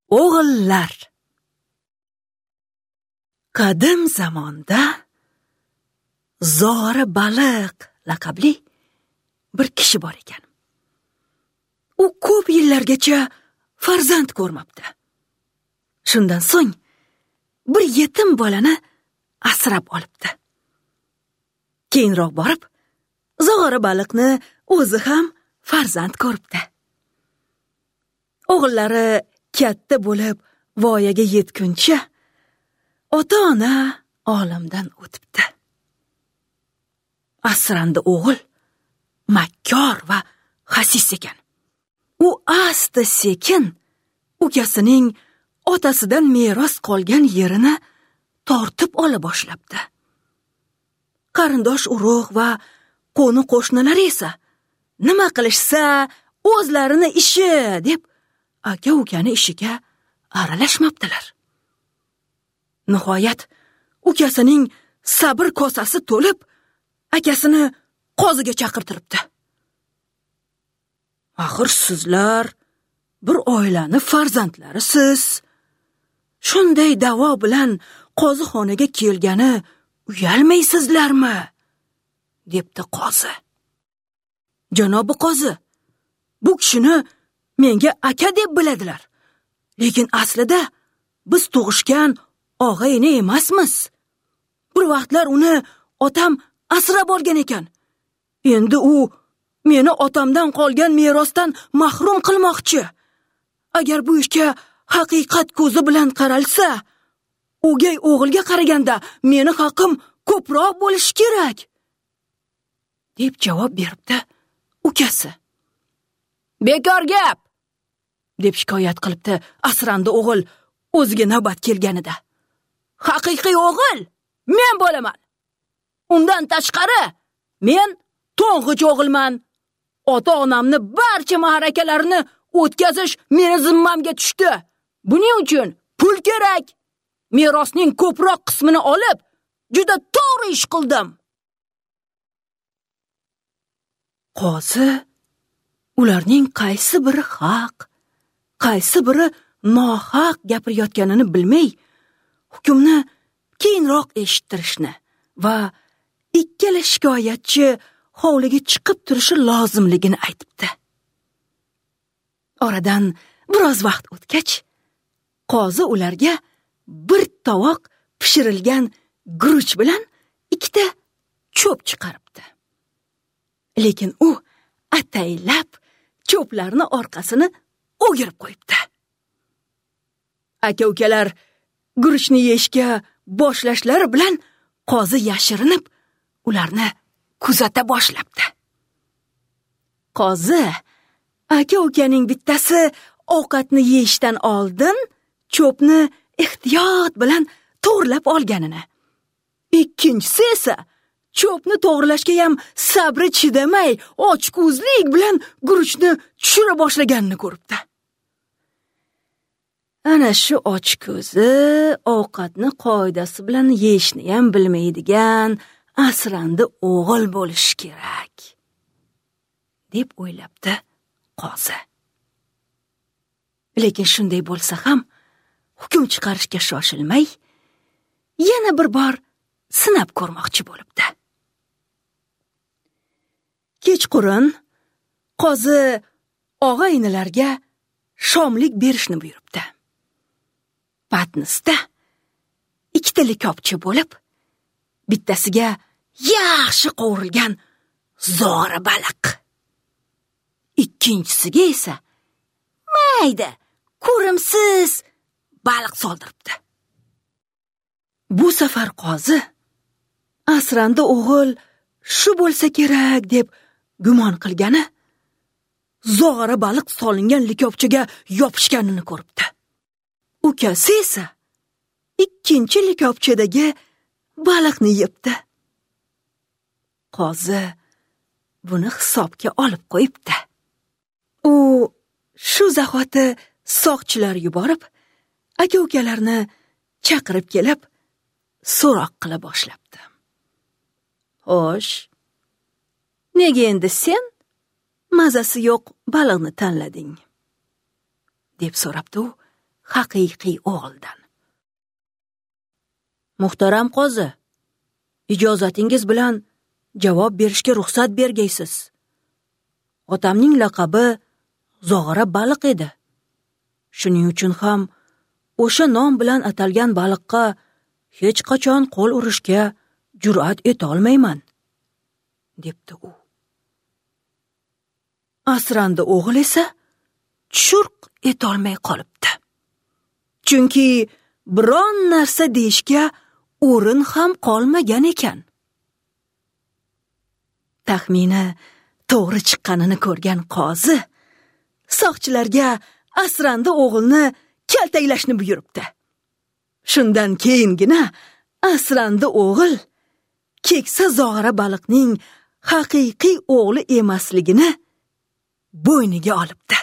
O'g'illar. Qadim zamonda Zora baliq laqabli bir kishi bor ekan. U ko'p yillargacha farzand ko'rmabdi. Shundan so'ng bir yetim bolani asrab olibdi. Keyinroq borib, Zog'ora baliqni o'zi ham farzand ko'ribdi. O'g'illari katta bo'lib voyaga yetguncha ota-ona olamdan o'tibdi. Asrandi o'g'il makkor va xasis ekan. U asta-sekin ukasining otasidan meros qolgan yerini tortib ola boshlabdi. Qarindosh urug' va qo'ni qo'shnilar esa nima qilishsa o'zlarini ishi deb aka-ukani ishiga aralashmabdilar. Nihoyat ukasining sabr kosasi to'lib, akasini qoziga chaqirtiribdi. Axir sizlar bir oilani farzandlarisiz. Shunday da'vo bilan qozixonaga kelgani uyalmaysizlarmi? Debdi qozi. Janobi qozi, bu kishini menga aka deb biladilar. Lekin aslida biz tug'ishgan og'a-ini emasmiz. Bir vaqtlar uni otam asrab olgan ekan. Endi u meni otamdan qolgan merosdan mahrum qilmoqchi. Agar bu ishga haqiqat ko'zi bilan qaralsa, o'gay o'g'ilga qaraganda meni haqim ko'proq bo'lishi kerak, deb javob beribdi ukasi. Bekor gap, deb shikoyat qilibdi asrandi o'g'il o'ziga navbat kelganida. Haqiqiy o'g'il men bo'laman. Undan tashqari men to'ng'ich o'g'ilman. Ota-onamni barcha ma'rakalarini o'tkazish meni zimmamga tushdi. Buning uchun pul kerak. Merosning ko'proq qismini olib, juda to'g'ri ish qildim. Qozi ularning qaysi biri haq, qaysi biri nohaq gapirayotganini bilmay, hukmni keyinroq eshittirishni va ikkala shikoyatchi hovliga chiqib turishi lozimligini aytibdi. Oradan biroz vaqt o'tgach, qozi ularga bir tovoq pishirilgan guruch bilan ikkita cho'p chiqaribdi. Lekin u ataylab cho'plarni orqasini o'girib qo'yibdi. Aka-ukalar guruchni yeyishga boshlashlari bilan qozi yashirinib ularni kuzata boshlabdi. Qozi aka-ukaning bittasi ovqatni yeyishdan oldin cho'pni ehtiyot bilan to'g'rilab olganini, ikkinchisi esa cho'pni to'g'rilashga ham sabri chidamay ochko'zlik bilan guruchni tushira boshlaganini ko'ribdi. Ana shu ochko'zi ovqatni qoidasi bilan yeyishni ham bilmaydigan asrandi o'g'il bo'lishi kerak, deb o'ylabdi qozi. Lekin shunday bo'lsa ham hukm chiqarishga shoshilmay, yana bir bor sinab ko'rmoqchi bo'libdi. Kechqurun qozi og'a-inilarga shomlik berishni buyuribdi. Patnisda ikkita likopcha bo'lib, bittasiga yaxshi qovurilgan zora baliq, ikkinchisiga esa mayda, ko'rimsiz baliq soldiribdi. Bu safar qozi asrandi o'g'il shu bo'lsa kerak deb gumon qilgani zog'ora baliq solingan likopchaga yopishganini ko'ribdi. Ukasi esa ikkinchi likopchadagi baliqni yebdi. Qozi buni hisobga olib qo'yibdi. U shu zahoti soqchilar yuborib, aka-ukalarni chaqirib kelib, so'roq qila boshlabdi. Xo'sh, nega endi sen mazasi yo'q baliqni tanlading? Deb so'rabdi u haqiqiy o'g'ildan. Muhtaram qozi, ijozatingiz bilan javob berishga ruxsat bergaysiz. Otamning laqabi Zog'ora baliq edi. Shuning uchun ham o'sha nom bilan atalgan baliqqa hech qachon qo'l urishga jur'at eta olmayman, debdi u. Asrandi o'g'il esa churq etolmay qolibdi. Chunki biron narsa deyishga o'rin ham qolmagan ekan. Taxmini to'g'ri chiqqanini ko'rgan qozi soqchilarga asrandi o'g'ilni kaltaklashni buyuribdi. Shundan keyingina asrandi o'g'il keksa zog'ora baliqning haqiqiy o'g'li emasligini bo'yniga olibdi.